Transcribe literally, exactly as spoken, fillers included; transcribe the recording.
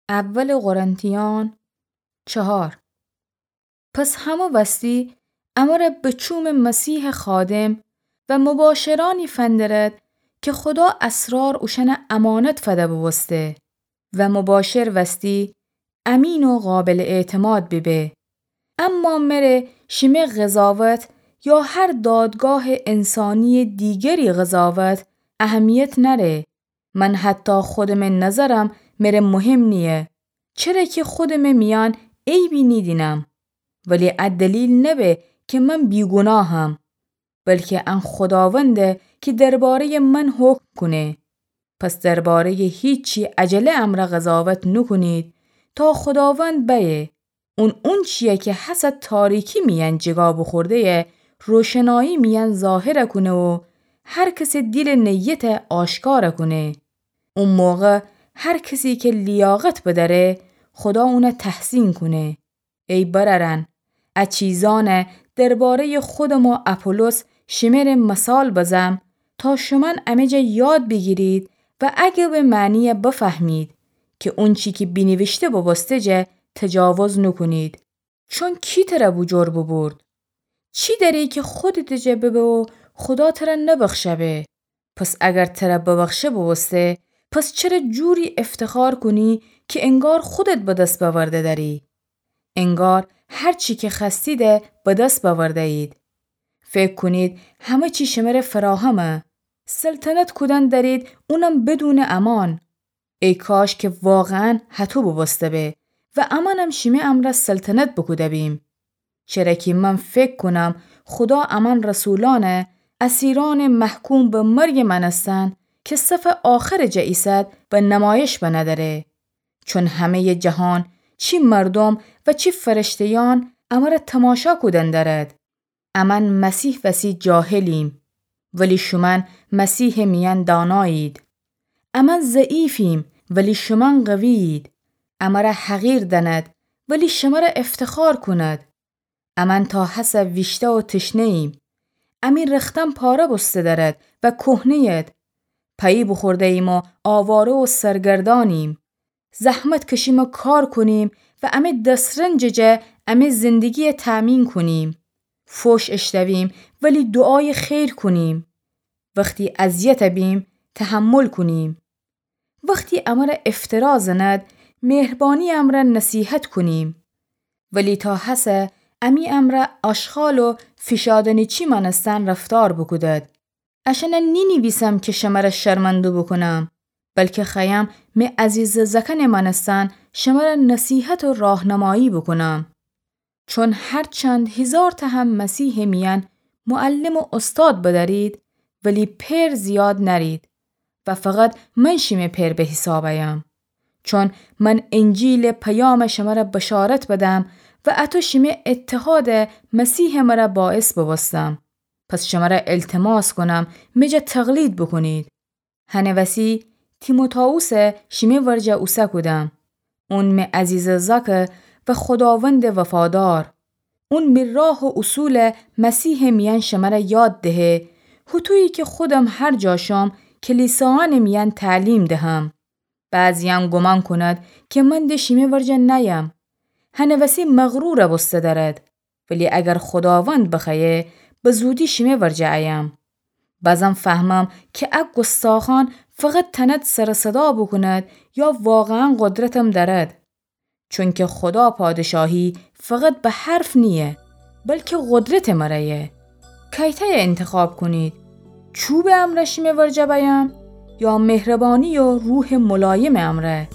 اول قرنتیان چهار. پس همه وستی امره به چوم مسیح خادم و مباشرانی فندرد که خدا اسرار اوشأنه امانت فده بوبوسته و مباشر وستی امین و قابل اعتماد بیبه. اما مره شیمه قضاوت یا هر دادگاه انسانی دیگری قضاوت اهمیت نره. من حتی خودمه نظرم مره مهم نییه، چره که خودمه میأن عیبی نیدینم. ولی ا دلیل نبه که من بیگوناهم، بلکه ان خداونده که دربارهٔ من حکم کونه. پس دربارهٔ هیچی عجله امره قضاوت نوکونید تا خداوند بأیه. اون اونچییه که هسه تاریکی میأن جیگا بوخورده‌یه روشنایی میأن ظاهر کونه و هر کسٚ دیلٚ نیته آشکار کونه. او موقع هر کسی که لیاقت بدأره، خدا اونه تحسین کونه. ای برأرأن، ا چیزأنه دربارهٔ خودم و اپولوس شمره مثال بزم، تا شومأن امه جا یاد بیگیرید و اگه به معنییه بفهمید که اونچی که بینیویشته بوبوسته جا تجاوز نوکونید. چون کی تره بوجور بوبورد؟ چی دأری که خودتٚ جا ببه و خدا تره نبخشه به؟ پس اگر تره ببخشه بوبوسته، پس چره جوری افتخار کونی که انگار خودت به دس بأورده دأری؟ انگار هر چی که خوأستیده به دس بأورده‌یید. فکر کونید همه چی شمره فراهمه. سلطنت کودن دأرید، اونم بدونٚ امان. ای کاش که واقعاً هطو بوبوسته به و امأنم شیمه امرأ سلطنت بوکوده بیم. چره که من فکر کونم خدا امأن رسولأنه، اسیرأنٚ محکوم به مرگٚ مأنستن که صفٚ آخرٚ جا ایسد، به نمایش بنه دأره. چون همه‌یٚ جهان، چی مردوم و چی فرشته‌یأن، امره تماشا کودن دأرد. امأن مسیح وسی جاهلیم، ولی شومأن مسیحٚ میأن دانایید. امأن ضعیفیم، ولی شومأن قوی‌یید. امره حقیر دأند، ولی شمره افتخار کند. امأن تا هسه ویشته و تشنه‌ییم. امی رختن پاره بوسته دأرد و کهنه‌ید. پئی بوخورده‌ییم و آواره و سرگردأنیم. زحمت کشیم و کار کونیم و امی دس‌رنجٚ جا امی زندگییه تأمین کونیم. فوش اشتویم ولی دوعایٚ خیر کونیم. وختی اذیت بیم، تحمل کونیم. وختی امره افترا زند، مهربانی امرأ نصیحت کونیم. ولی تا هسه امی امرأ آشغال و فیشادنی‌چی مأنستن رفتار بوکودد. اشأنه نینیویسم که شمره شرمنده بوکونم، بلکه خوأیم می عزیزٚ زأکأنٚ مأنستن شمره نصیحت و راهنمایی بوکونم. چون هرچند هیزارتأ هم مسیحٚ میأن معلم و استاد بدأرید، ولی پئر زیاد نأرید و فقط من شیمه پئر به حیساب أیم. چون من انجیلٚ پیام شمره بشارت بدم و اطو شیمه اتحادٚ مسیحٚ مره باعث بوبوستم. پس شمره التماس کونم می جا تقلید بوکونید. هنٚ وسی تیموتائوسه شیمه ورجه اوسه کودم. اون می عزیزٚ زأکه و خداوندٚ وفادار. اون می راه و اصولٚ مسیحٚ میأن شمره یاد دهه، هوطویی که خودم هر جا شم کلیسایأنٚ میأن تعلیم دهم. بعضیأن گومان کونید که من ده شیمه ورجه نأیم. هنٚ وسی مغرور بوسته دأرید. ولی اگر خداوند بخوأیه، به زودی شیمه ورجه أیم. بازم فهمم که ا گستاخأن فقط تأند سر و صدا بوکوند یا واقعاً قدرتم دأرد. چونکه خدا پادشاهی فقط به حرف نییه، بلکه قدرتٚ مره‌یه. کیتأیه انتخاب کونید؟ چوبٚ امرأ شیمه ورجه بأیم یا مهربانی و روحٚ ملایمٚ امرأ؟